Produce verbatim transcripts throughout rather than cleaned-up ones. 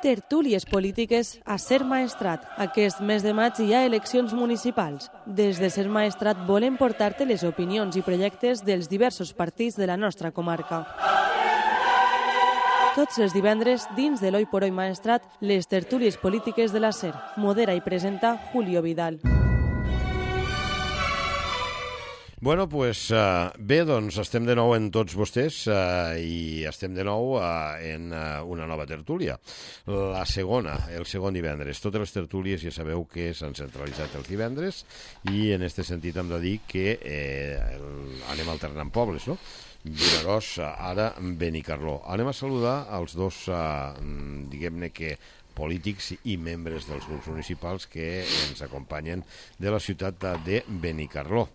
Tertúlies polítiques a Ser Maestrat. Aquest mes de maig hi ha eleccions municipals. Des de Ser Maestrat volem portar-te les opinions i projectes dels diversos partits de la nostra comarca. Tots els divendres, dins de l'Oi por Oi Maestrat, les tertúlies polítiques de la Ser. Modera i presenta Julio Vidal. Bueno, pues, uh, bé, doncs estem de nou en tots vostès uh, i estem de nou uh, en uh, una nova tertúlia. La segona, el segon divendres. Totes les tertúlies ja sabeu que s'han centralitzat els divendres i en aquest sentit hem de dir que eh, el, anem alternant pobles, no? Vinaròs, ara Benicarló. Anem a saludar els dos, uh, diguem-ne que polítics i membres dels grups municipals que ens acompanyen de la ciutat de Benicarló.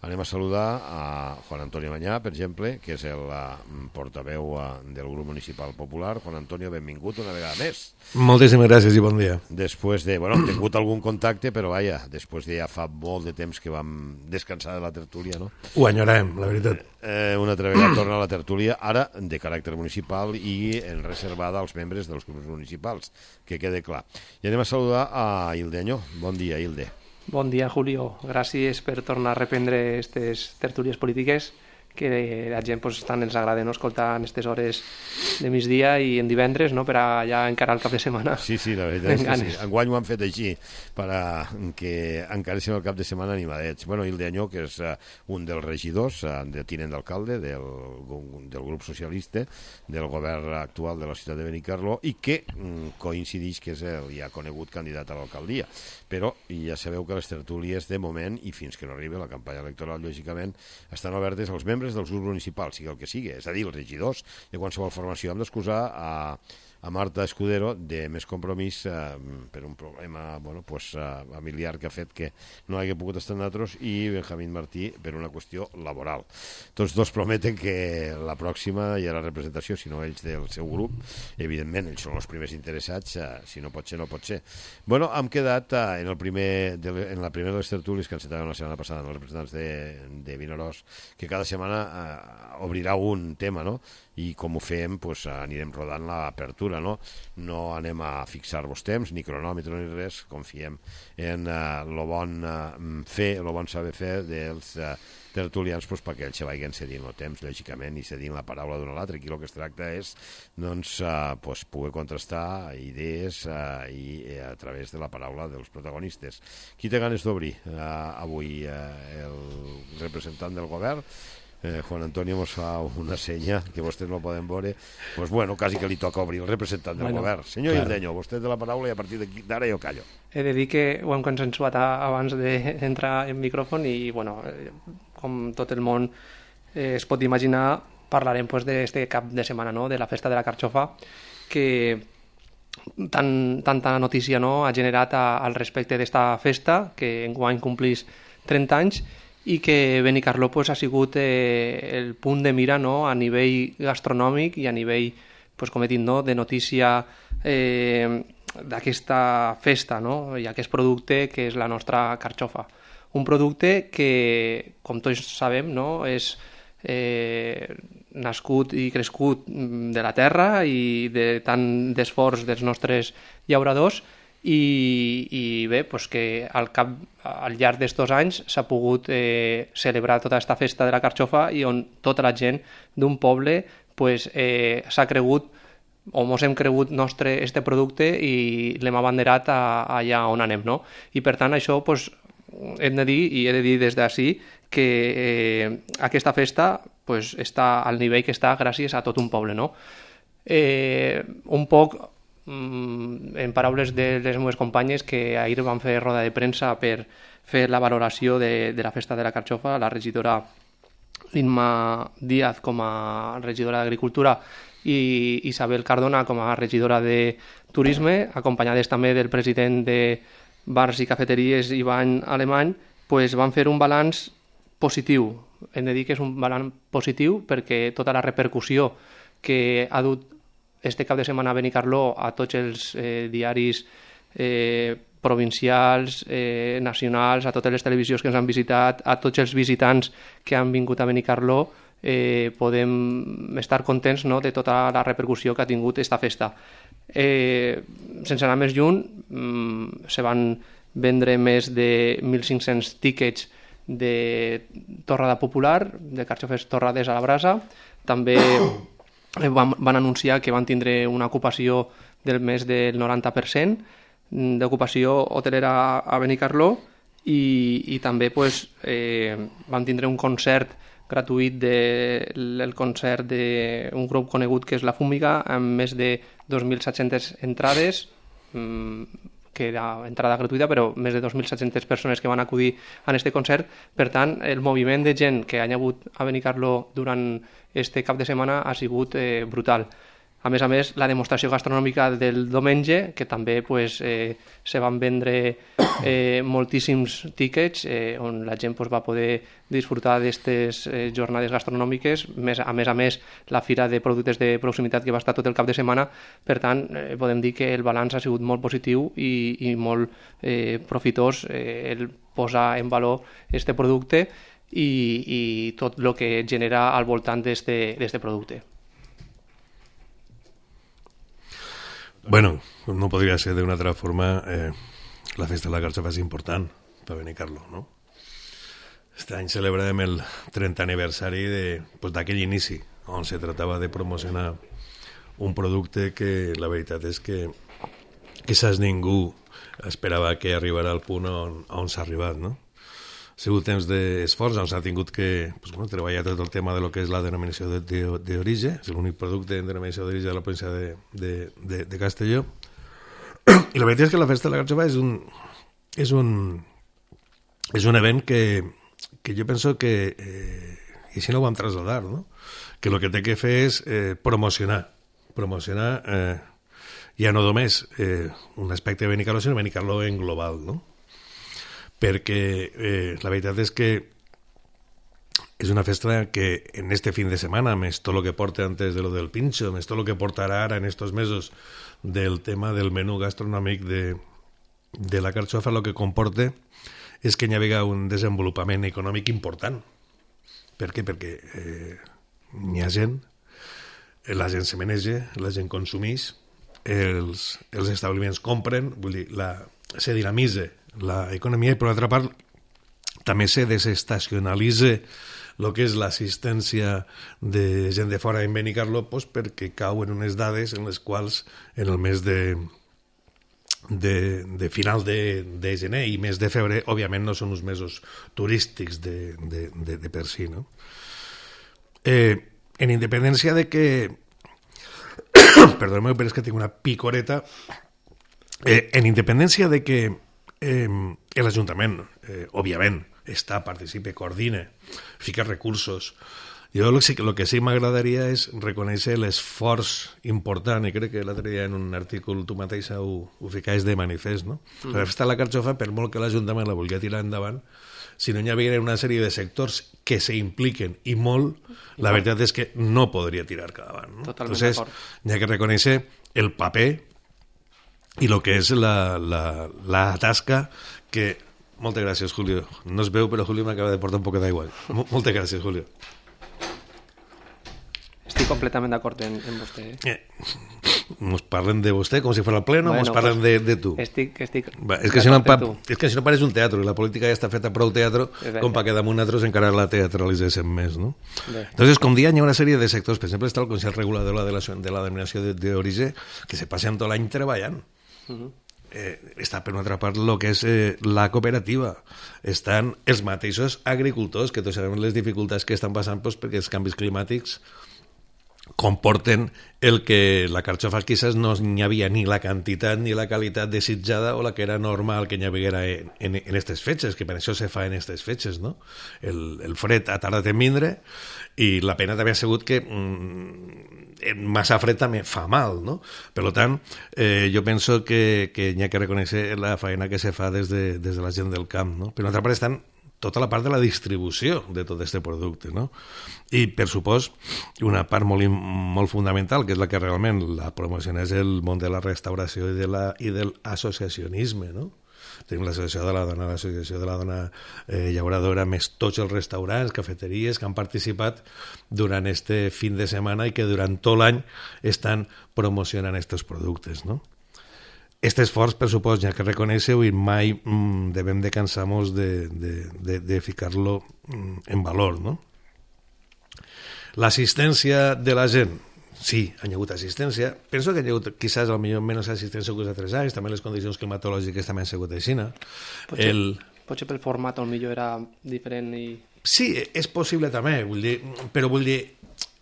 Anem a saludar a Juan Antonio Mañá, per exemple, que és el uh, portaveu uh, del grup municipal popular. Juan Antonio, benvingut una vegada més. Moltíssimes gràcies i bon dia. Després de, bueno, hem tingut algun contacte, però vaja, després de ja fa molt de temps que vam descansar de la tertúlia, no? Ho enyorem, la veritat. Eh, una altra vegada torna a la tertúlia, ara de caràcter municipal i en reservada als membres dels grups municipals, que quede clar. I anem a saludar a Hilde Añó. Bon dia, Hilde. Bon dia, Julio. Gràcies per tornar a reprendre aquestes tertúlies polítiques que la gent pues, tant els agrada no? Escoltar en aquestes hores de migdia i en divendres no? Per a ja encarar el cap de setmana. Sí, sí, la veritat és que sí. Enguany ho han fet així per a que encaréssim el cap de setmana animadets. Bueno, Hilde Añó, que és uh, un dels regidors, uh, de tinent d'alcalde del, del grup socialista del govern actual de la ciutat de Benicarló i que um, coincideix que és el ja conegut candidat a l'alcaldia. Però ja sabeu que les tertúlies de moment, i fins que no arribi la campanya electoral, lògicament, estan obertes als membres dels grups municipals, sigui el que sigui, és a dir, els regidors de qualsevol formació. Hem d'excusar a, a Marta Escudero de Més Compromís eh, per un problema bueno, pues, eh, familiar que ha fet que no hagi pogut estar amb nosaltres i Benjamín Martí per una qüestió laboral. Tots dos prometen que la pròxima hi ha la representació, si no ells del seu grup, evidentment ells són els primers interessats, eh, si no pot ser, no pot ser. Bueno, hem quedat eh, en, el primer de, en la primera de les tertúlies que encetaven la setmana passada amb els representants de, de Vinaròs, que cada setmana eh, obrirà un tema, no? I com ho fem, pues, anirem rodant l'apertura, no? No anem a fixar-vos temps, ni cronòmetre ni res, confiem en el uh, bon uh, fer, el bon saber fer dels uh, tertulians pues, perquè ells se vagin cedint el temps, lògicament, i cedint la paraula d'un a l'altre. Aquí el que es tracta és doncs, uh, pues, poder contrastar idees uh, i uh, a través de la paraula dels protagonistes. Qui té ganes d'obrir uh, avui? Uh, el representant del govern? Eh, Juan Antonio mos fa una senya que vostès no poden veure, pues bueno, quasi que li toca obrir el representant del bueno, govern. Senyor claro. Hilde Añó, vostè té la paraula i a partir d'ara jo callo. He de dir que ho hem consensuat abans d'entrar en micròfon i, bueno, com tot el món eh, es pot imaginar, parlarem pues, d'aquest cap de setmana, no? De la festa de la carxofa, que tan, tanta notícia no? Ha generat a, al respecte d'esta festa, que enguany complís trenta anys, i que Benicarló pues, ha sigut eh, el punt de mira no? A nivell gastronòmic i a nivell, pues, com he dit, no? De notícia eh, d'aquesta festa no? I aquest producte que és la nostra carxofa. Un producte que, com tots sabem, no? És eh, nascut i crescut de la terra i de tant d'esforç dels nostres llauradors. I, i bé, pues que al, cap, al llarg d'estos anys s'ha pogut eh, celebrar tota aquesta festa de la carxofa i on tota la gent d'un poble pues, eh, s'ha cregut o mos hem cregut nostre este producte i l'hem abanderat a, a allà on anem, no? I per tant això pues, hem de dir, i he de dir des d'ací, que eh, aquesta festa pues, està al nivell que està gràcies a tot un poble, no? Eh, un poc en paraules de les meves companyes que ahir van fer roda de premsa per fer la valoració de, de la festa de la carxofa, la regidora Inma Díaz com a regidora d'Agricultura i Isabel Cardona com a regidora de Turisme, acompanyades també del president de Bars i Cafeteries, Ivan Alemany, pues van fer un balanç positiu. Hem de dir que és un balanç positiu perquè tota la repercussió que ha dut este cap de setmana a Benicarló a tots els eh, diaris eh, provincials, eh, nacionals, a totes les televisions que ens han visitat, a tots els visitants que han vingut a Benicarló, eh, podem estar contents, no?, de tota la repercussió que ha tingut aquesta festa. Eh, sense anar més lluny, mm, se van vendre més de mil cinc-cents tíquets de torrada popular, de carxofes torrades a la brasa. També van, van anunciar que van tindre una ocupació del més del noranta per cent d'ocupació hotelera a Benicarló i, i també pues, eh, van tindre un concert gratuït del de, concert d'un grup conegut que és La Fúmiga, amb més de dos mil set-centes entrades, mmm, que era entrada gratuïta, però més de dos mil set-centes persones que van acudir a aquest concert. Per tant, el moviment de gent que ha hagut a Benicarló durant este cap de setmana ha sigut eh, brutal. A més a més, la demostració gastronòmica del diumenge, que també pues, eh, se van vendre eh, moltíssims tíquets, eh, on la gent pues, va poder disfrutar d'aquestes eh, jornades gastronòmiques, més, a més a més la fira de productes de proximitat que va estar tot el cap de setmana. Per tant, eh, podem dir que el balanç ha sigut molt positiu i, i molt eh, profitós eh, el posar en valor aquest producte i, i tot el que genera al voltant d'aquest producte. Bueno, no podria ser d'una altra forma. Eh, la festa de la carxofa és important per Benicarló, no? Este any celebrem el trentè aniversari d'aquell pues, inici, on se tractava de promocionar un producte que la veritat és que quizás ningú esperava que arribara al punt on, on s'ha arribat, no? Ha sigut temps d'esforç, on s'ha tingut que pues, bueno, treballar tot el tema de lo que és la denominació d'origen, és l'únic producte en denominació d'origen de la província de, de, de, de Castelló. I la veritat és que la festa de la carxofa és un, és un, és un event que, que jo penso que, eh, i si no ho vam traslladar, no? Que el que té que fer és eh, promocionar, promocionar eh, ja no només eh, un aspecte de Benicarló, sinó Benicarló en global, no? Perquè eh, la veritat és que és una festa que en este fin de setmana, més tot el que porta antes de lo del pincho, més tot el que portarà ara en estos mesos del tema del menú gastronòmic de, de la carxofa, el que comporta és que hi ha un desenvolupament econòmic important. Per què? Perquè eh, hi ha gent, la gent se maneja, la gent consumeix, els, els establiments compren, vull dir, la, se dinamitza l'economia i per altra part també se desestacionalitza el que és l'assistència de gent de fora en Benicarló pues, perquè cauen unes dades en les quals en el mes de, de, de final de, de gener i mes de febrer òbviament no són uns mesos turístics de, de, de, de per si, no? Eh, en independència de que perdoneu, però és que tinc una picoreta eh, en independència de que Eh, l'Ajuntament, eh, òbviament, està, participa, coordina, fica recursos. Jo el que, el que sí m'agradaria és reconèixer l'esforç important, i crec que l'altre dia en un article tu mateixa ho, ho ficaves de manifest, no? Mm. La festa de la carxofa, per molt que l'Ajuntament la vulgui tirar endavant, si no hi havia una sèrie de sectors que se impliquen i molt, la veritat és que no podria tirar cap davant, no? Totalment Entonces, d'acord. hi ha que reconèixer el paper i el que és la, la, la tasca que... Moltes gràcies, Julio. No es veu, però Julio m'acaba de portar un poc d'aigua. Moltes gràcies, Julio. Estic completament d'acord en, en vostè. Eh? Eh, nos parlen de vostè com si fos el pleno, bueno, nos parlen pues, de, de tu. Estic, estic Va, és, que si no, pa, és que si no pareix un teatre, i la política ja està feta prou teatre, com perquè damunt nosaltres encara la teatralitzéssim més, no? Bé. Entonces, com dia, hi ha una sèrie de sectors, per exemple, està el Consell Regulador de la, de la Denominació d'Origen, que se passen tot l'any treballant. Uh-huh. Eh, està per una altra part el que és eh, la cooperativa, estan els mateixos agricultors que tots sabem les dificultats que estan passant pues, perquè els canvis climàtics comporten el que la carxofa quizás no hi havia ni la quantitat ni la qualitat desitjada o la que era normal que hi havia en, en, en aquestes fetges, que per això se fa en aquestes fetges, no? El, el fred ha tardat en vindre i la pena també ha sigut que mm, massa fred també fa mal, no? Per tant, eh, jo penso que, que hi ha que reconèixer la feina que se fa des de, des de la gent del camp, no? Per una altra part estan tota la part de la distribució de tot aquest producte, no? I, per supost, una part molt, molt fundamental, que és la que realment la promociona, és el món de la restauració i de la, i de l'associacionisme, no? tenim l'associació de la dona, l'associació de la dona eh, llauradora, més tots els restaurants, cafeteries que han participat durant este fin de setmana i que durant tot l'any estan promocionant aquests productes, no? Este esforç, per supost, ja que reconeixeu, i mai mm, devem de cansar-nos de, de, de, de ficar-lo mm, en valor, no? L'assistència de la gent, sí, hi ha hagut assistència. Penso que hi ha hagut, quizás, al millor menys assistència que els altres anys, també les condicions climatològiques també han sigut així. Potser, el... potser pel format, al millor era diferent i... Sí, és possible també, vull dir, però vull dir,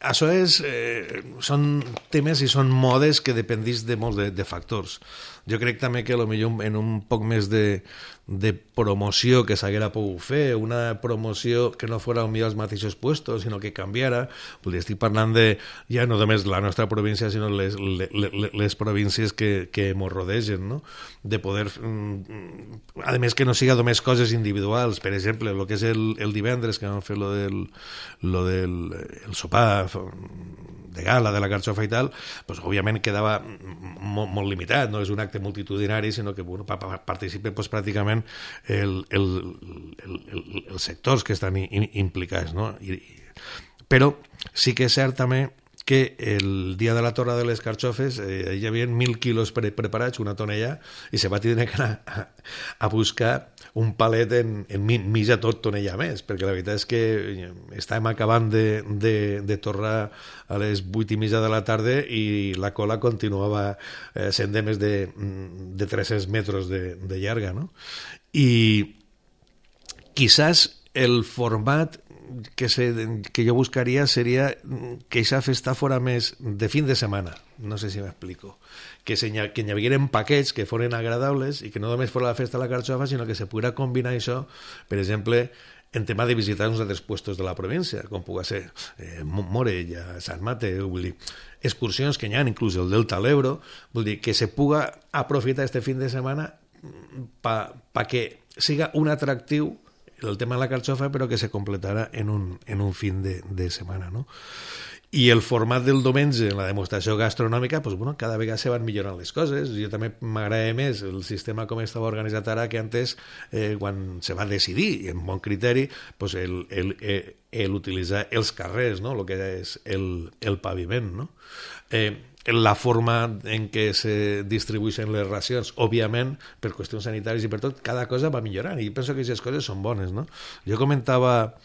això és, eh, són temes i són modes que dependís de molts de, de factors. Jo crec també que potser en un poc més de, de promoció que s'haguera pogut fer, una promoció que no fos potser als mateixos puestos, sinó que canviara. Estic parlant de, ja no només la nostra província, sinó les, les, les províncies que, que ens rodegen, no? De poder, a més que no siga només coses individuals, per exemple, el que és el, el divendres que vam fer lo del, lo del el sopar de gala, de la carxofa i tal, pues, òbviament quedava molt, molt limitat, no és un acte multitudinari, sinó que bueno, pa, pa, participen pues, pràcticament el, el, el, el, els sectors que estan in, implicats, no? I, però sí que és cert també que el dia de la torra de les carxofes eh, hi havia mil quilos pre preparats, una tonella, i se va tenir que anar a, a buscar un palet en, en mitja tot tonella més, perquè la veritat és que estàvem acabant de, de, de torrar a les vuit i mitja de la tarda i la cola continuava eh, sent de més de, de tres-cents metres de, de llarga, no? I quizás el format que, se, que jo buscaria seria que aquesta festa fora més de fin de setmana, no sé si m'explico, que, se, que hi hagueren paquets que foren agradables i que no només fos la festa de la carxofa, sinó que se poguera combinar això, per exemple, en tema de visitar uns altres puestos de la província, com pugui ser eh, Morella, Sant Mateu, vull dir, excursions que hi ha, inclús el Delta de l'Ebro, vull dir, que se puga aprofitar este fin de setmana pa, pa que siga un atractiu el tema de la carxofa, però que se completara en un, en un fin de, de setmana, no? I el format del diumenge en la demostració gastronòmica, pues, bueno, cada vegada se van millorant les coses. Jo també m'agrada més el sistema com estava organitzat ara que antes, eh, quan se va decidir, en bon criteri, pues, el, el, el, el utilitzar els carrers, no? El que és el, el paviment, no? Eh, la forma en què se distribueixen les racions, òbviament, per qüestions sanitàries i per tot, cada cosa va millorant, i penso que aquestes coses són bones, no? Jo comentava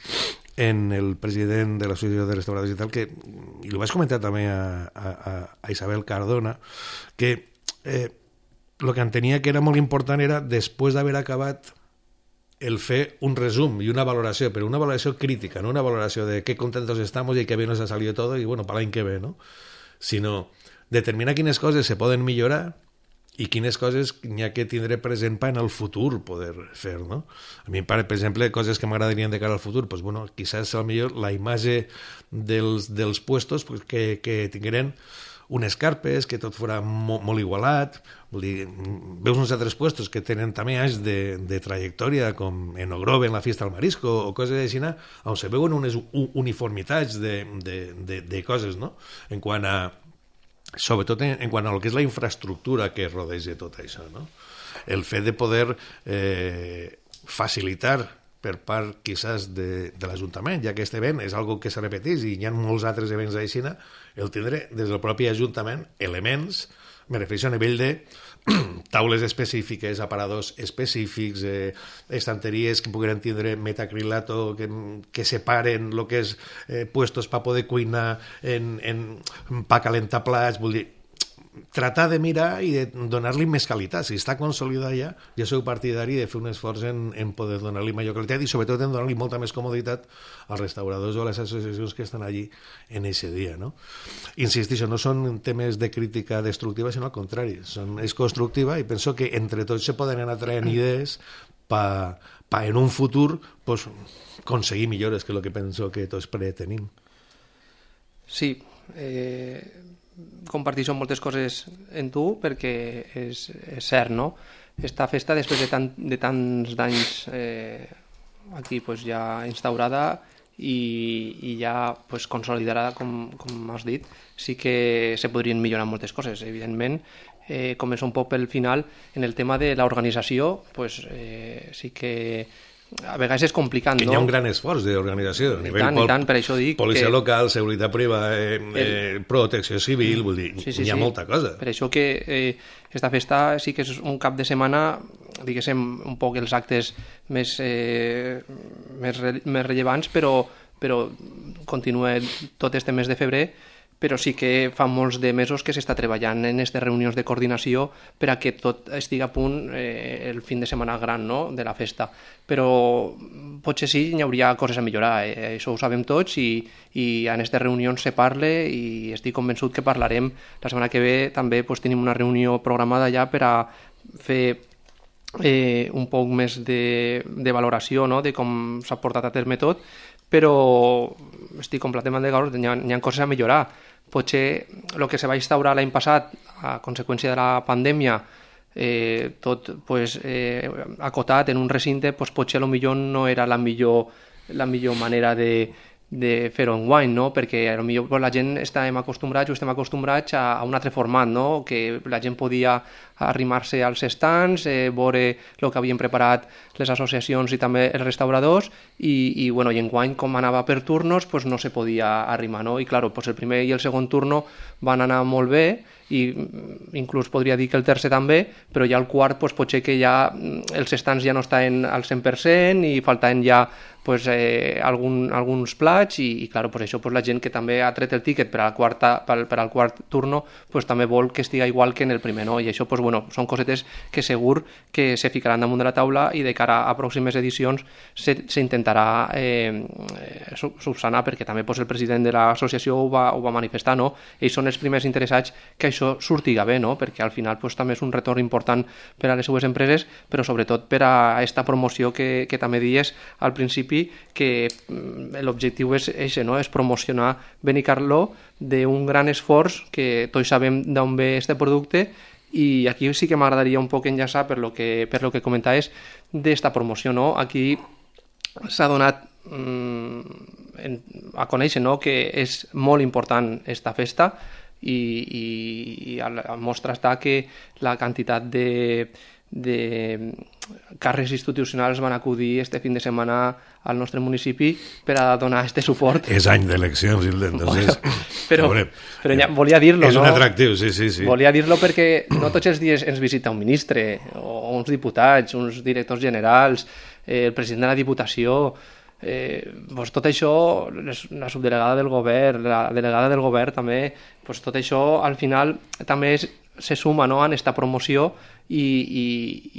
en el president de l'Associació de Restauradors i tal, que, i ho vaig comentar també a, a, a Isabel Cardona, que eh, el que entenia que era molt important era, després d'haver acabat, el fer un resum i una valoració, però una valoració crítica, no una valoració de qué contentos estamos y qué bien nos ha salido todo, i bueno, para l'any que ve, no? Sinó determinar quines coses se poden millorar i quines coses n'hi ha que tindre present per en el futur poder fer, no? A mi, per exemple, coses que m'agradarien de cara al futur, pues, bueno, quizás a millor la imatge dels, dels puestos pues, que, que tingueren unes carpes, que tot fora molt, molt igualat. Vull dir, veus uns altres puestos que tenen també anys de, de trajectòria, com en Ogrove, en la Fiesta al Marisco, o coses així, on se veuen unes uniformitats de, de, de, de coses, no? En quant a sobretot en, en quant a el que és la infraestructura que rodeja tot això, no? El fet de poder eh, facilitar per part, quizás, de, de l'Ajuntament, ja que aquest event és algo que se repeteix i hi ha molts altres events així, el tindre des del propi Ajuntament elements, me refereixo a nivell de taules específiques, aparadors específics, eh, estanteries que puguen tindre metacrilato, que, que separen el que és eh, puestos per poder cuinar, en, en, per calentar plats, vull dir, tratar de mirar i de donar-li més qualitat. Si està consolidat ja, jo soc partidari de fer un esforç en, en poder donar-li major qualitat i sobretot en donar-li molta més comoditat als restauradors o a les associacions que estan allí en aquest dia, no? Insistixo, no són temes de crítica destructiva, sinó al contrari, són, és constructiva i penso que entre tots se poden anar traient idees per pa en un futur pues, aconseguir millores, que és el que penso que tots pretenim. Sí, eh... comparteixo moltes coses en tu perquè és, és cert, no? Esta festa, després de, tant, de tants d'anys eh, aquí pues, ja instaurada i, i ja pues, consolidarà, com, com has dit, sí que se podrien millorar moltes coses, evidentment. Eh, començo un poc pel final, en el tema de l'organització, pues, eh, sí que a vegades és complicat, no? Hi ha un gran esforç d'organització a nivell tant, pol tant, per això dic policia que... local, seguretat privada, eh, eh, protecció civil, vull dir, sí, sí, hi ha sí. molta cosa. Per això que eh, esta festa sí que és un cap de setmana, diguéssim, un poc els actes més, eh, més, re, més rellevants, però, però continua tot este mes de febrer, però sí que fa molts de mesos que s'està treballant en aquestes reunions de coordinació per a que tot estigui a punt eh, el fin de setmana gran, no?, de la festa. Però potser sí, hi hauria coses a millorar, eh? Això ho sabem tots i, i en aquestes reunions se parla i estic convençut que parlarem. La setmana que ve també pues, tenim una reunió programada ja per a fer eh, un poc més de, de valoració, no?, de com s'ha portat a terme tot, però estic completament d'acord, hi, hi ha coses a millorar. Potser el que se va instaurar l'any passat a conseqüència de la pandèmia, eh, tot pues, eh, acotat en un recinte, pues, potser a lo millor no era la millor, la millor manera de, de fer-ho enguany, no? Perquè a lo millor pues, la gent estàvem acostumbrats o estem acostumbrats a, a un altre format, no? Que la gent podia arrimar-se als estants, eh, veure el que havien preparat les associacions i també els restauradors i, i, bueno, i enguany com anava per turnos pues, no se podia arrimar, no? I claro, pues, el primer i el segon turno van anar molt bé i inclús podria dir que el tercer també, però ja el quart pues, potser que ja els estants ja no estaven al cent per cent i faltaven ja pues, eh, algun, alguns plats i, i claro, pues, això pues, la gent que també ha tret el tíquet per al, quarta, per, per al quart turno pues, també vol que estigui igual que en el primer, no? I això pues, bueno, són cosetes que segur que se ficaran damunt de la taula i de cara a pròximes edicions s'intentarà eh, subsanar, perquè també pues, el president de l'associació ho, va, ho va manifestar, no? Ells són els primers interessats que això surtiga bé, no? Perquè al final pues, també és un retorn important per a les seues empreses, però sobretot per a aquesta promoció que, que també dies al principi, que l'objectiu és, és, no? És promocionar Benicarló d'un gran esforç que tots sabem d'on ve este producte. I aquí sí que m'agradaria un poc enllaçar per lo que, per lo que comentaves d'esta promoció, no? Aquí s'ha donat mmm, en, a conèixer, no?, que és molt important esta festa i, i, i a mostra està que la quantitat de, de càrrecs institucionals van acudir este fin de setmana al nostre municipi per a donar este suport. És any d'eleccions, entonces... Però, veure, però ja, volia dir-lo, és no? un atractiu, sí, sí, sí. Volia dir-lo perquè no tots els dies ens visita un ministre, o uns diputats, uns directors generals, eh, el president de la Diputació... Eh, pues tot això, la subdelegada del govern, la delegada del govern també, pues tot això al final també és, se suma, no?, en esta promoció i, i,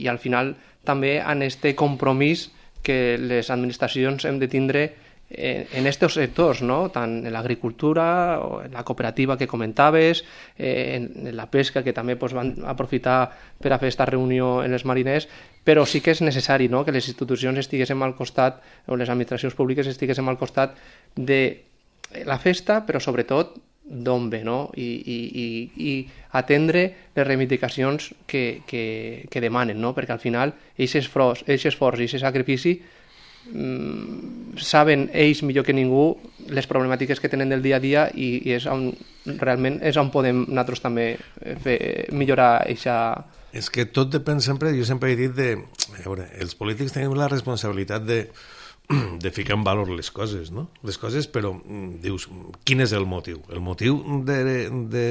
i al final també en este compromís que les administracions hem de tindre en estos sectors, no?, tant en l'agricultura, o en la cooperativa que comentaves, eh, en la pesca, que també pues, van aprofitar per a fer aquesta reunió en els mariners, però sí que és necessari, no?, que les institucions estiguéssim al costat, o les administracions públiques estiguéssim al costat de la festa, però sobretot d'on ve, no?, i, i, i, i atendre les reivindicacions que, que, que demanen, no?, perquè al final aquest esforç, aquest esforç i aquest sacrifici saben ells millor que ningú les problemàtiques que tenen del dia a dia i, i és on, realment és on podem nosaltres també fer, millorar eixa... És que tot depèn sempre, jo sempre he dit de, a veure, els polítics tenim la responsabilitat de, de ficar en valor les coses, no? Les coses, però dius, quin és el motiu? El motiu de, de,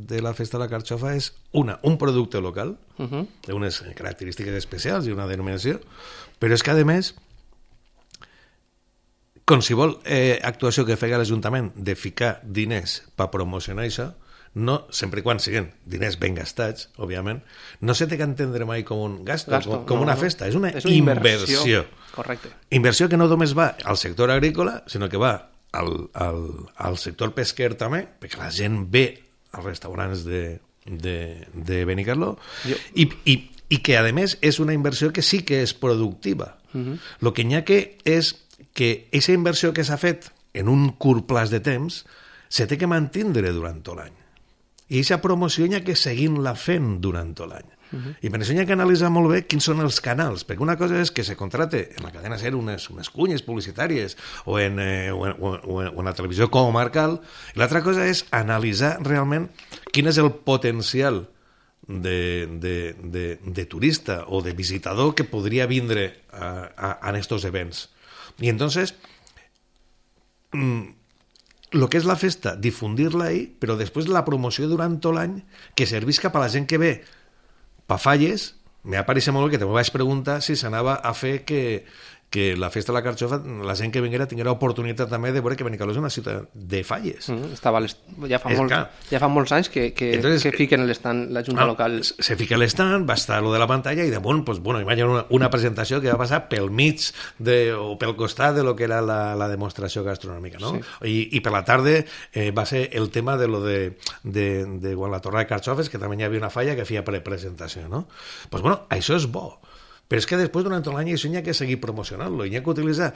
de la festa de la carxofa és una, un producte local, uh-huh. unes característiques especials i una denominació, però és que a més qualsevol eh, actuació que fega l'Ajuntament de ficar diners per promocionar això, no, sempre i quan siguin diners ben gastats, òbviament, no se té que entendre mai com un gasto, gasto com, com no, una festa, és una, és una inversió. inversió. Correcte. Inversió que no només va al sector agrícola, sinó que va al, al, al sector pesquer també, perquè la gent ve als restaurants de, de, de Benicarló, jo... i, i, i que, a més, és una inversió que sí que és productiva. Uh-huh. Lo que n'hi ha que és que aquesta inversió que s'ha fet en un curt plaç de temps se té que mantindre durant tot l'any. i aquesta promoció hi ha que seguir-la fent durant tot l'any. Uh-huh. I per això hi ha que analitzar molt bé quins són els canals, perquè una cosa és que se contrate en la cadena SER unes, unes cunyes publicitàries o en, eh, o, en, o, en, o en la televisió comarcal, i l'altra cosa és analitzar realment quin és el potencial de, de, de, de turista o de visitador que podria vindre a, a, a estos events. I entonces el que és la festa, difundir-la ahí, però després la promoció durant tot l'any que servisca per a la gent que ve pa Falles. Me va pareixer molt bé que te vaig preguntar si s'anava a fer que, que la festa de la Carxofa, la gent que vinguera tinguera oportunitat també de veure que Benicarló és una ciutat de Falles. Mm, estava ja, fa molt, ja fa molts anys que, que, Entonces, que fiquen l'estant la Junta ah, Local. Se fica l'estant, va estar lo de la pantalla i damunt, pues, bueno, hi va haver una, una presentació que va passar pel mig de, o pel costat de lo que era la, la demostració gastronòmica, no? Sí. I, I per la tarda eh, va ser el tema de lo de, de, de quan la torre de Carxofes, que també hi havia una falla que feia pre-presentació, no? Pues bueno, això és bo. Però és que després, durant tot l'any, això hi ha que seguir promocionant-lo, hi ha que utilitzar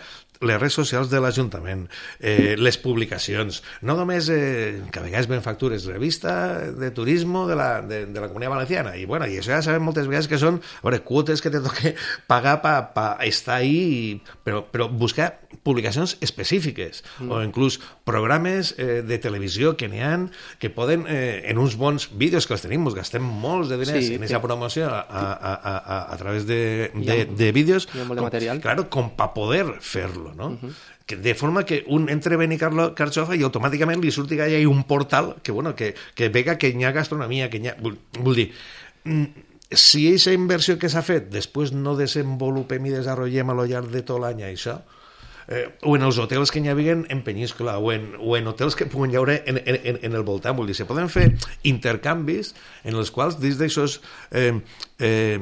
les redes socials de l'Ajuntament, eh, les publicacions, no només eh, que a vegades ven factures, revista de turisme de la, de, de la Comunitat Valenciana, i bueno, i això ja sabem moltes vegades que són, a veure, quotes que te toque pagar per pa, pa estar ahí, i, però, però buscar publicacions específiques, mm. o inclús programes eh, de televisió que n'hi ha, que poden, eh, en uns bons vídeos que els tenim, ens gastem molts de diners sí, en aquesta sí. promoció a, a, a, a, a través de De, de vídeos, com, de material. Claro, com para poder fer-lo, no? Uh-huh. Que de forma que un entre Benicarló Carxofa i automàticament li surti que hi ha un portal que, bueno, que, que vega que hi ha gastronomia, que hi ha... Vull, vull dir, si aquesta inversió que s'ha fet després no desenvolupem i desenvolupem a lo llarg de tot l'any això, eh, o en els hotels que hi havien en Peníscola, o en, o en hotels que puguen haure en, en, en el voltant, vull dir, se poden fer intercanvis en els quals dins d'aixòs eh, eh,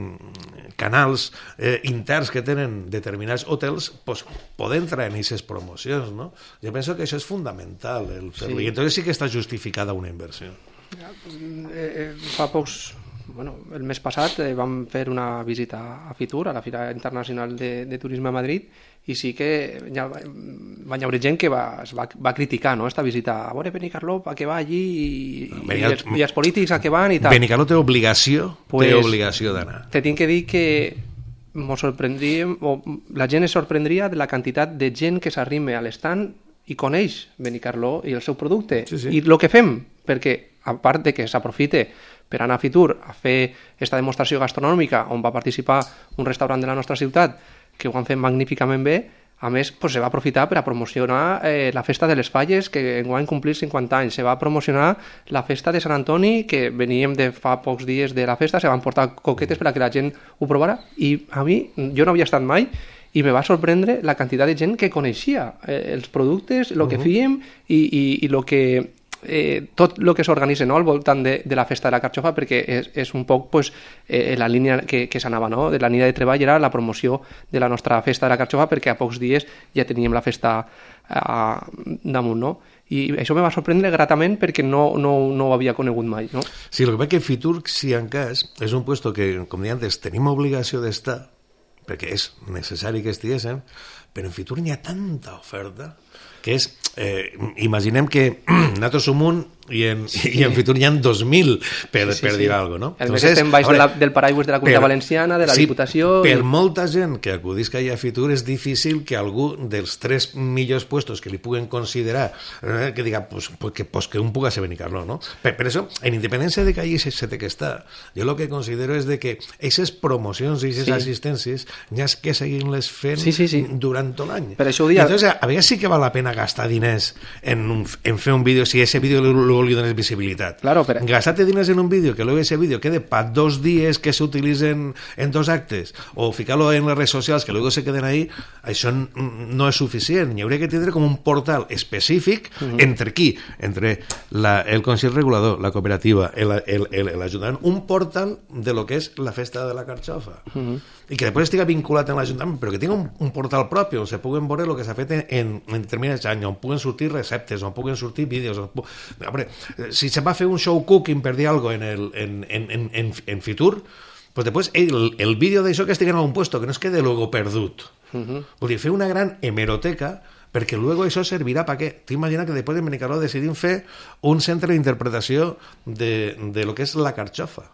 canals eh, interns que tenen determinats hotels, pues, poden entrar en aquestes promocions, no? Jo penso que això és fundamental, el fer-ho, sí. I entonces sí que està justificada una inversió. Ja, pues, eh, eh, fa pocs... Bueno, el mes passat eh, vam fer una visita a Fitur, a la Fira Internacional de, de Turisme a Madrid, i sí que ja va, va haver gent que va, va, va criticar, no?, esta visita. A veure, Benicarló, a què va allí, i, i, els, i els polítics a què van i tal. Benicarló té obligació, pues, té obligació d'anar. Te tinc que dir que mos sorprendríem, o la gent es sorprendria de la quantitat de gent que s'arrime a l'estand i coneix Benicarló i el seu producte. Sí, sí. I el que fem, perquè a part de que s'aprofite per anar a Fitur a fer aquesta demostració gastronòmica on va participar un restaurant de la nostra ciutat que ho han fet magníficament bé, a més pues, se va aprofitar per a promocionar eh, la festa de les Falles, que enguany complir cinquanta anys, se va promocionar la festa de Sant Antoni, que veníem de fa pocs dies de la festa, se van portar coquetes per a que la gent ho provara, i a mi, jo no havia estat mai, i me va sorprendre la quantitat de gent que coneixia eh, els productes, el que uh-huh. fèiem i, i, i el que... Eh, tot el que s'organitza, no?, al voltant de, de la festa de la Carxofa, perquè és, és un poc pues, eh, la línia que, que s'anava, no?, de la línia de treball era la promoció de la nostra festa de la Carxofa, perquè a pocs dies ja teníem la festa eh, damunt, no? I això me va sorprendre gratament perquè no, no, no ho havia conegut mai, no? Sí, el que va que Fitur, si en cas, és un puesto que, com deia antes, tenim obligació d'estar, perquè és necessari que estiguéssim, però en Fitur hi ha tanta oferta que és, eh, imaginem que nosaltres som un i en, sí. i en Fitur hi ha dos mil per, sí, sí, per dir sí. alguna cosa, no? El mes estem baix veure, de la, del paraigües de la Comunitat Valenciana, de la sí, Diputació... Per i... molta gent que acudisca a Fitur és difícil que algú dels tres millors puestos que li puguen considerar, eh, que diga, pues, pues, que, pues, que un puga ser Benicarló, no? Per, per això, en independència de que allí se, se té que estar, jo el que considero és de que aquestes promocions i aquestes sí. assistències hi ha que seguir-les fent sí, sí, sí. durant tot l'any. Per això ho dia... Entonces, a vegades sí que val la pena gastar diners en, un, en fer un vídeo si ese vídeo luego li dones visibilitat. Claro, pero... Gastate diners en un vídeo que luego ese vídeo quede para dos días que se utilicen en dos actes o ficarlo en las redes sociales que luego se queden ahí, això no és suficient. Hi hauria que tindre com un portal específic uh-huh. entre qui? Entre la, el Consell Regulador, la cooperativa, l'Ajuntament, un portal de lo que és la festa de la Carxofa. Uh-huh. I que després estiga vinculat en l'Ajuntament, però que tingui un, un portal propi on se puguen veure el que s'ha fet en, en, en determinats anys, on puguen sortir receptes, on puguen sortir vídeos. On pu... Hombre, si se va a fer un show cooking per dir alguna cosa en, el, en, en, en, en Fitur, pues després el, el vídeo d'això que estigui en algun puesto, que no es quede luego perdut. Uh-huh. Vull dir, fer una gran hemeroteca perquè luego això servirà per què? T'imagina que després en Benicarló decidim fer un centre d'interpretació de, de lo que és la carxofa.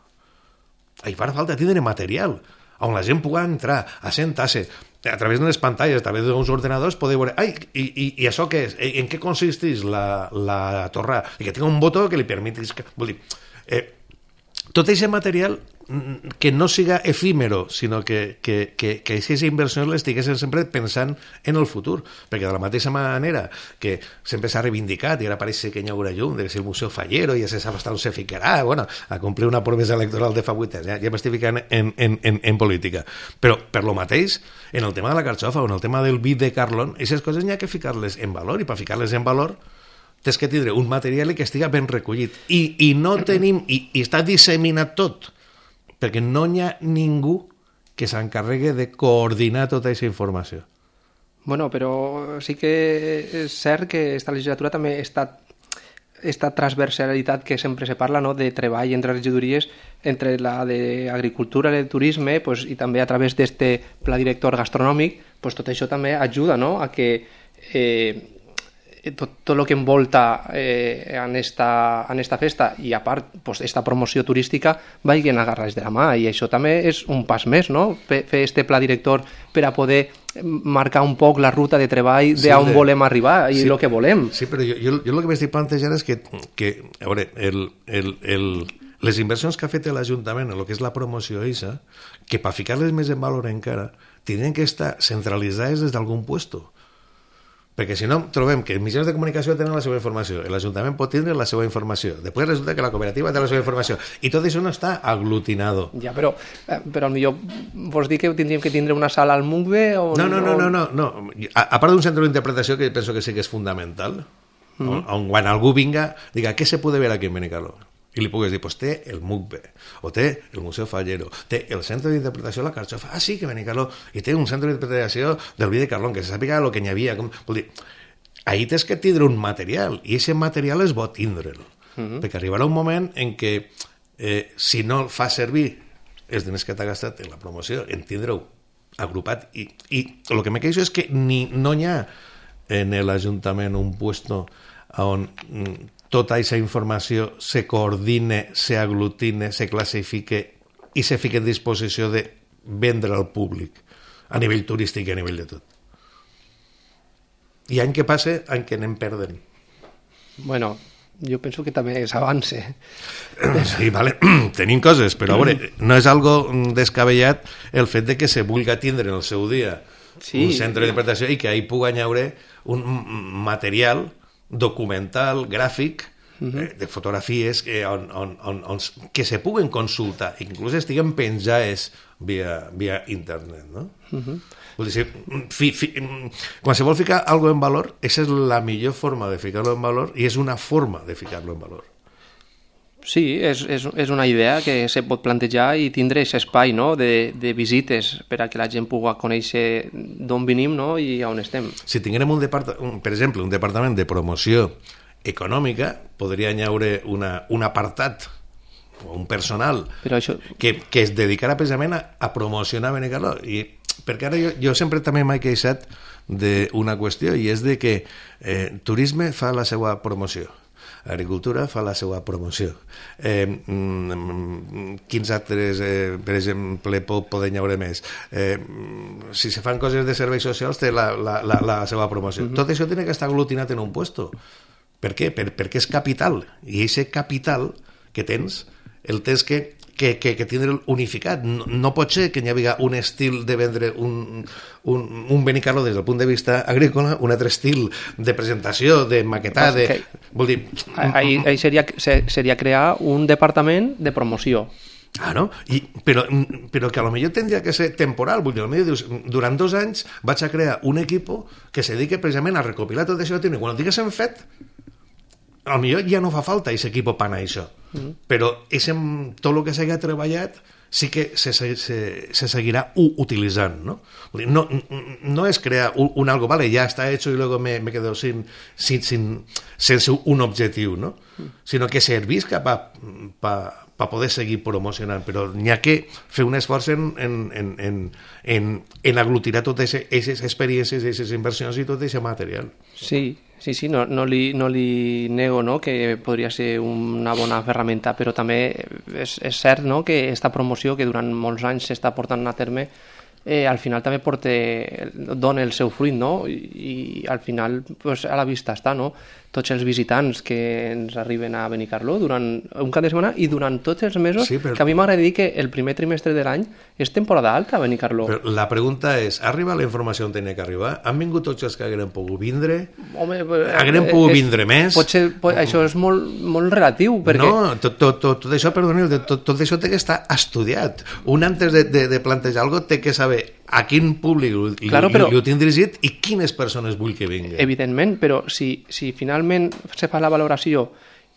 Hi farà falta tindre material on la gent pugui entrar, assentar-se, a través de les pantalles, a través d'uns ordenadors, poder veure, ai, i, i, i això què és? En què consisteix la, la torre? I que tingui un botó que li permeti... Vull dir, eh, tot aquest material que no siga efímero, sinó que, que, que, que aquestes inversions les estiguessin sempre pensant en el futur, perquè de la mateixa manera que sempre s'ha reivindicat i ara pareix que hi haurà llum, de que si el Museu Fallero ja se sap on se ficarà, bueno, a complir una promesa electoral de fa vuit anys, ja, ja m'estic ficant en, en, en, en política. Però per lo mateix, en el tema de la carxofa o en el tema del vi de Carlon, aquestes coses n'hi ha que ficar-les en valor, i per ficar-les en valor tens que tindre un material que estiga ben recollit. I, i no tenim, i, i està disseminat tot, perquè no hi ha ningú que s'encarregui de coordinar tota aquesta informació. Bueno, però sí que és cert que esta legislatura també està esta transversalitat que sempre se parla, no?, de treball entre regidories, entre la d'agricultura i el turisme, pues, i també a través d'este pla director gastronòmic, pues, tot això també ajuda, no?, a que eh, tot, tot el que envolta eh, en, esta, en esta festa i a part pues, esta promoció turística vagin agarrats de la mà, i això també és un pas més, no?, fer, fer este pla director per a poder marcar un poc la ruta de treball d'on sí, de... volem arribar i el sí, que volem. Sí, però jo, jo, jo el que m'estic plantejant és que, que a veure, el, el, el, les inversions que ha fet l'Ajuntament en el que és la promoció eixa, que per ficar-les més en valor encara, tindrien que estar centralitzades des d'algun puesto. Perquè si no, trobem que els mitjans de comunicació tenen la seva informació, l'Ajuntament pot tindre la seva informació, després resulta que la cooperativa té la seva informació, i tot això no està aglutinado. Ja, però, però millor vols dir que tindríem que tindre una sala al M U C B? O, no, no, no, o... no, no, no. A, a part d'un centre d'interpretació que penso que sí que és fundamental, mm-hmm. on, on quan algú vinga, diga, què se puede ver aquí en Benicarló? I li pugues dir, pues té el M U C B, o té el Museu Fallero, té el centre d'interpretació de la carxofa, ah sí, que Benicarló, i té un centre d'interpretació del vi de Carlon, que se sàpiga el que n'hi havia. Com... Vol dir, ahí tens que tindre un material, i aquest material és bo tindre'l, uh-huh. perquè arribarà un moment en què, eh, si no fa servir els diners que t'ha gastat en la promoció, en tindre-ho agrupat, i, i el que me queixo és que ni, no hi ha en l'Ajuntament un puesto on tota aquesta informació se coordine, se aglutine, se classifique i se fique en disposició de vendre al públic a nivell turístic i a nivell de tot. I any que passe, any que anem perdent. Bueno, jo penso que també és avance. Sí, vale, tenim coses, però a veure, no és algo descabellat el fet de que se vulga tindre en el seu dia sí. un centre d'interpretació i que ahí pugui haure un material documental, gràfic, uh-huh. eh, de fotografies que, on, on, on, on, que se puguen consultar, inclús estiguen penjades via, via internet, no? Uh-huh. Vull dir, fi, fi, quan se vol ficar algo en valor, aquesta és la millor forma de ficar-lo en valor i és una forma de ficar-lo en valor. Sí, és, és, és una idea que se pot plantejar i tindre aquest espai, no?, de, de visites per a que la gent pugui conèixer d'on venim, no?, i on estem. Si tinguérem, un depart- un, per exemple, un departament de promoció econòmica, podria haure una, un apartat o un personal Però això... que, que es dedicarà precisament a, a promocionar Benicarló. I perquè ara jo, jo sempre també m'he queixat d'una qüestió, i és de que eh, turisme fa la seva promoció, agricultura fa la seva promoció. Eh, mm, quins altres, eh, per exemple, poden haure més? Eh, si se fan coses de serveis socials, té la, la, la, la seva promoció. Mm-hmm. Tot això té que estar aglutinat en un puesto. Per què? Per, perquè és capital. I aquest capital que tens, el tens que que, que, que tindre unificat. No, no pot ser que hi hagi un estil de vendre un, un, un Benicarló des del punt de vista agrícola, un altre estil de presentació, de maquetar, de... Okay. Vol dir... Ahí, ahí seria, seria crear un departament de promoció. Ah, no? I, però, però que a lo millor tindria que ser temporal. Vull dir, potser dius, durant dos anys vaig a crear un equipo que se dedique precisament a recopilar tot això. I quan ho tinguéssim fet, a lo millor ja no fa falta aquest equip per anar a això. Mm. Però ese, tot el que s'hagi treballat sí que se, se, se seguirà utilitzant, ¿no? No, no es crear un, un algo, vale, ya está hecho y luego me, me quedo sin, sin, sin sense un objectiu, ¿no? Mm. Sinó que servisca per pa, pa per poder seguir promocionant, però n'hi ha que fer un esforç en, en, en, en, en, en aglutinar totes aquestes experiències, aquestes inversions i tot aquest material. Sí, sí, sí, no, no, li, no li nego, no?, que podria ser una bona ferramenta, però també és, és cert, no?, que aquesta promoció que durant molts anys s'està portant a terme eh, al final també porta, dona el seu fruit, no?, i, i al final pues, a la vista està, no?, tots els visitants que ens arriben a Benicarló durant un cap de setmana i durant tots els mesos, sí, però... que a mi m'agrada dir que el primer trimestre de l'any és temporada alta a Benicarló. Però la pregunta és, ha arribat la informació on tenia que arribar? Han vingut tots els que hagueren pogut vindre? Home, hagueren pogut és, vindre més? Potser, pot, això és molt, molt relatiu, perquè... No, tot, tot, tot, tot això, perdoneu, tot, tot això té que estar estudiat. Un antes de, de, de plantejar alguna cosa té que saber a quin públic li, claro, però, li ho tinc dirigit i quines persones vull que vinguin. Evidentment, però si, si finalment se fa la valoració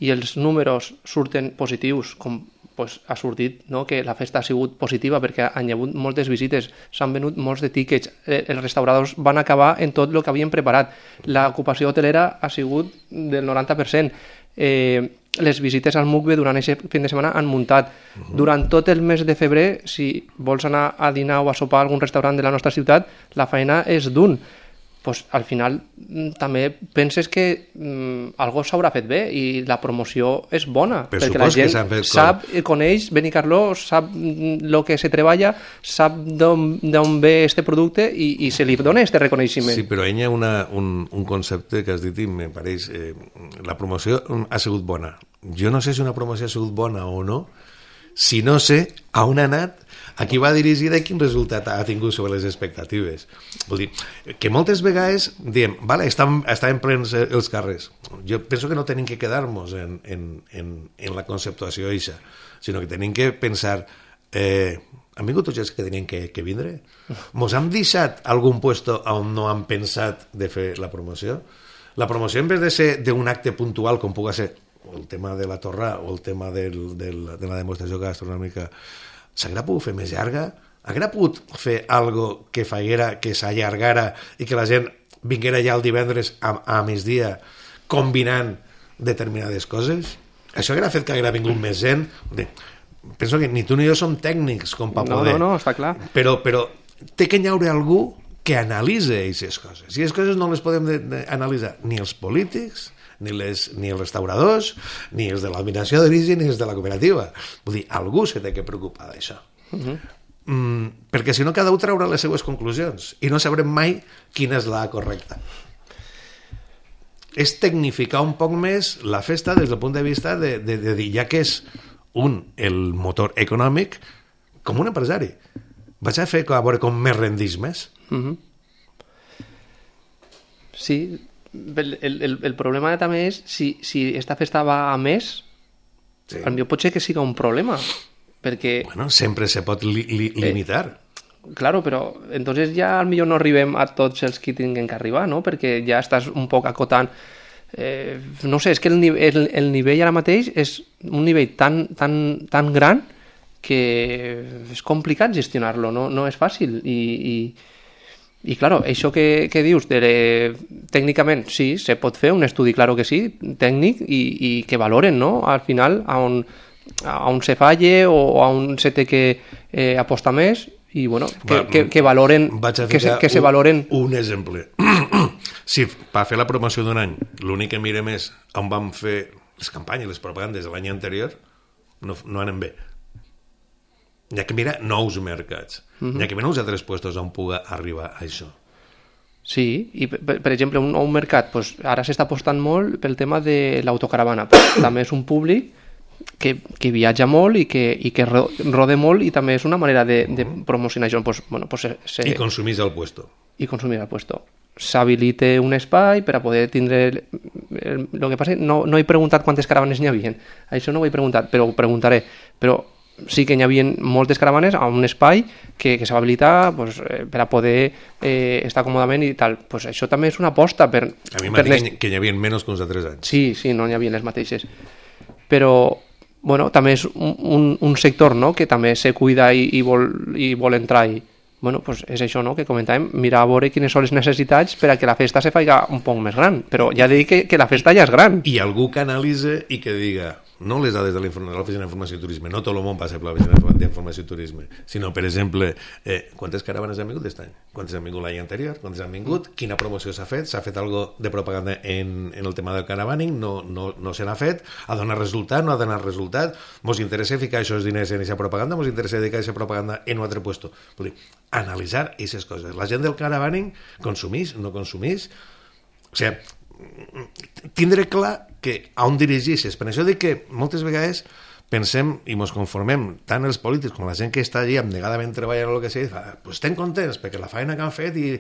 i els números surten positius, com pues, ha sortit, no? Que la festa ha sigut positiva perquè han hagut moltes visites, s'han venut molts de tíquets, eh, els restauradors van acabar en tot el que havien preparat, l'ocupació hotelera ha sigut del noranta per cent, eh, les visites al Mucbe durant aquest fin de setmana han muntat. Uh-huh. Durant tot el mes de febrer, si vols anar a dinar o a sopar a algun restaurant de la nostra ciutat, la feina és d'un. Pues, al final també penses que mm, algo s'haurà fet bé i la promoció és bona, per perquè la gent sap, com... coneix Benicarló, sap el que se treballa, sap d'on ve este producte i, i se li dona este reconeixement. Sí, però hi ha una, un, un concepte que has dit i me pareix, eh, la promoció ha sigut bona. Jo no sé si una promoció ha sigut bona o no, si no sé a on ha anat, a qui va dirigida i quin resultat ha tingut sobre les expectatives. Vull dir, que moltes vegades diem, vale, estan, estan plens els carrers. Jo penso que no tenim que quedar-nos en, en, en, en la conceptuació eixa, sinó que tenim que pensar, eh, han vingut tots els que tenien que, que vindre? Mos han deixat algun puesto on no han pensat de fer la promoció? La promoció, en vez de ser d'un acte puntual, com pugui ser el tema de la torra o el tema del, del, de la demostració gastronòmica, s'haguera pogut fer més llarga? Haguera pogut fer algo que faiguera, que s'allargara i que la gent vinguera ja el divendres a, a migdia combinant determinades coses? Això haguera fet que haguera vingut més gent? Penso que ni tu ni jo som tècnics com per no, poder. No, no, està clar. Però, però té que hi haure algú que analitze aquestes coses. I aquestes coses no les podem de, de analitzar ni els polítics, ni, les, ni els restauradors, ni els de l'administració d'origen, ni els de la cooperativa. Vull dir, algú se té que preocupar d'això. Uh-huh. Mm, perquè si no cada un traurà les seues conclusions i no sabrem mai quina és la correcta. És tecnificar un poc més la festa des del punt de vista de, de, de dir, ja que és un, el motor econòmic, com un empresari. Vaig a fer a veure com més rendís més. Uh-huh. Sí, El, el, el problema també és si, si esta festa va a més, sí. Potser pot ser que siga un problema perquè... Bueno, sempre se pot li, li, limitar. Eh, claro, però entonces ja al millor no arribem a tots els que tinguin que arribar, no? Perquè ja estàs un poc acotant. Eh, no sé, és que el, el, el nivell ara mateix és un nivell tan, tan, tan gran que és complicat gestionar-lo, no, no és fàcil i... i I, claro, això que, que dius, de, tècnicament, sí, se pot fer un estudi, claro que sí, tècnic, i, i que valoren, no?, al final, a on, a on se falle o a on se té que eh, apostar més, i, bueno, que, Va, que, que valoren, que se, que se un, valoren... Un exemple. Si per fer la promoció d'un any, l'únic que mirem és on vam fer les campanyes, les propagandes de l'any anterior, no, no anem bé. Hi ha que mirar nous mercats. Uh-huh. Hi ha que mirar uns altres puestos on pugui arribar a això. Sí, i per, per exemple, un nou mercat, pues, ara s'està apostant molt pel tema de l'autocaravana. També és un públic que, que viatja molt i que, i que rode molt i també és una manera de, de promocionar això. Pues, bueno, pues se, se... I consumís al puesto. I consumir al puesto. S'habilita un espai per a poder tindre... El, el, el que passa, no, no he preguntat quantes caravanes n'hi havia. Això no ho he preguntat, però ho preguntaré. Però sí que hi havia moltes caravanes a un espai que, que s'ha habilitat pues, eh, per a poder eh, estar còmodament i tal. Pues això també és una aposta per... A mi m'ha dit les... que hi havia menys que uns altres anys. Sí, sí, no hi havia les mateixes. Però, bueno, també és un, un, un sector, no?, que també se cuida i, i, vol, i vol entrar i... Bueno, pues és això, no?, que comentàvem, mirar a veure quines són les necessitats per a que la festa se faiga un poc més gran. Però ja dic que, que la festa ja és gran. I algú que analitze i que diga... no les dades de l'Oficina d'Informació i Turisme, no tot el món passa per l'Oficina d'Informació i Turisme, sinó, per exemple, eh, quantes caravanes han vingut aquest any? Quantes han vingut l'any anterior? Quantes han vingut? Quina promoció s'ha fet? S'ha fet algo de propaganda en, en el tema del caravaning? No, no, no se n'ha fet? Ha donat resultat? No ha donat resultat? Mos interessa ficar aquests diners en aquesta propaganda? Mos interessa dedicar aquesta propaganda en un altre puesto? Vull dir, analitzar aquestes coses. La gent del caravaning consumís, no consumís? O sigui, tindre clar que a on dirigeixes. Per això dic que moltes vegades pensem i ens conformem, tant els polítics com la gent que està allí abnegadament treballant o el que sigui, fa, pues estem contents perquè la feina que han fet i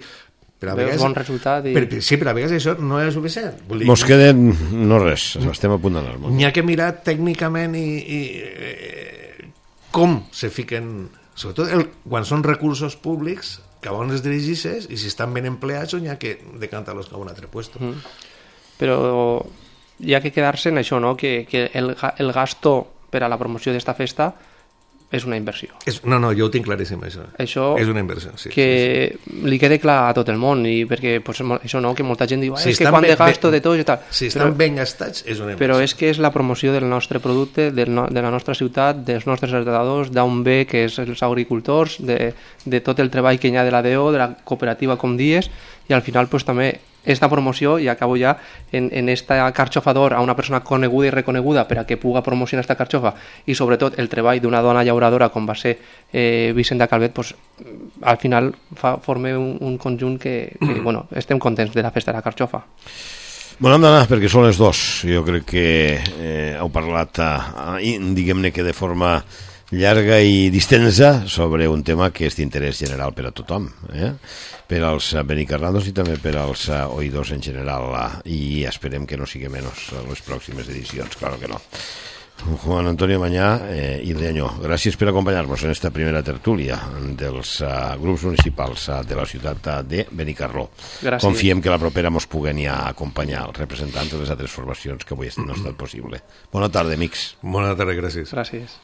per a vegades, bon resultat i... per, sí, però a vegades això no és suficient. Dir, Mos queden no res, estem a punt d'anar. N'hi ha que mirar tècnicament i, i eh, com se fiquen, sobretot el, quan són recursos públics, que on els dirigeixes i si estan ben empleats o n'hi ha que decantar-los cap a un altre puesto. Mm. Però hi ha que quedar-se en això, no? que, que el, el gasto per a la promoció d'esta festa és una inversió. És, no, no, jo ho tinc claríssim, això. Això és una inversió, sí. Que sí. li quede clar a tot el món, i perquè pues, això no, que molta gent diu si és que quan de gasto ben, de tot i tal. Si estan però, ben gastats, és una inversió. Però és que és la promoció del nostre producte, del no, de la nostra ciutat, dels nostres heredadors, d'un bé que és els agricultors, de, de tot el treball que hi ha de la D O, de la cooperativa, com dies, i al final pues, també esta promoció, i acabo ja, en, en esta carxofador a una persona coneguda i reconeguda per a que puga promocionar esta carxofa, i sobretot el treball d'una dona llauradora com va ser eh, Vicenta Calvet, pues, al final fa, forma un, un conjunt que, que bueno, estem contents de la festa de la carxofa. Bueno, hem d'anar perquè són les dos. Jo crec que eh, heu parlat, eh, diguem-ne que de forma llarga i distensa sobre un tema que és d'interès general per a tothom, eh? Per als benicarnados i també per als oïdors en general, i esperem que no sigui menys en les pròximes edicions, claro que no. Juan Antonio Mañá eh, i Leñó, gràcies per acompanyar-nos en esta primera tertúlia dels uh, grups municipals uh, de la ciutat uh, de Benicarló. Gràcies. Confiem que la propera mos puguen ja acompanyar els representants de les altres formacions que avui no ha estat possible. Bona tarda, amics. Bona tarda, gràcies. Gràcies.